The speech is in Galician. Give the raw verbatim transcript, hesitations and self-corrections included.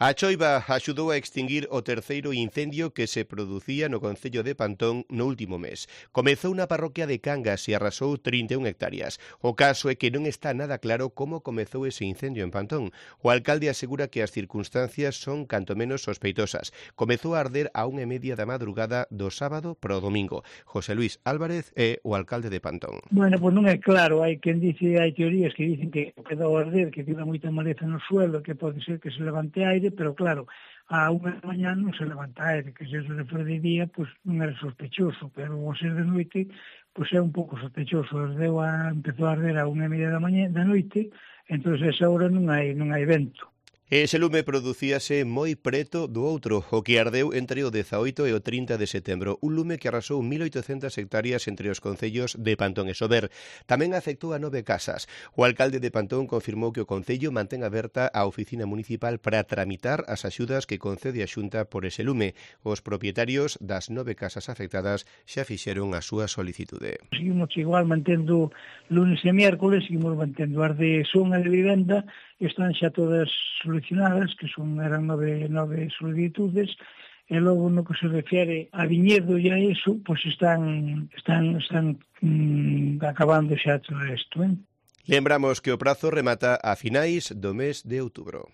A choiva axudou a extinguir o terceiro incendio que se producía no concello de Pantón no último mes. Comezou na parroquia de Cangas e arrasou trinta e unha hectáreas. O caso é que non está nada claro como comezou ese incendio en Pantón. O alcalde asegura que as circunstancias son canto menos sospeitosas. Comezou a arder a unha e media da madrugada do sábado para o domingo. José Luis Álvarez é o alcalde de Pantón. Bueno, pois non é claro, hai quen dice, hai teorías que dicen que quedou a arder, que tiene moita maleza no suelo, que pode ser que se levante aire, pero claro, a unha da mañá non se levanta aire, que se eso se foi de día, pois non era sospechoso, pero ao ser de noite, pois é un pouco sospechoso, ardeu a, empezou a arder a unha e media da mañá, da noite, entón esa hora non hai, non hai vento. Ese lume producíase moi preto do outro, o que ardeu entre o dezaoito e o trinta de setembro, un lume que arrasou mil oitocentas hectáreas entre os concellos de Pantón e Sober. Tamén afectou a nove casas. O alcalde de Pantón confirmou que o concello mantén aberta a oficina municipal para tramitar as axudas que concede a Xunta por ese lume. Os propietarios das nove casas afectadas xa fixeron a súa solicitude. Seguimos igual mantendo lunes e miércoles, seguimos mantendo as de son e de vivenda, están xa todas solucionadas, que son eran nove, nove solicitudes, e logo no que se refere a viñedo e a iso, pois están están están mm, acabando xa todo isto, eh? Lembramos que o prazo remata a finais do mes de outubro.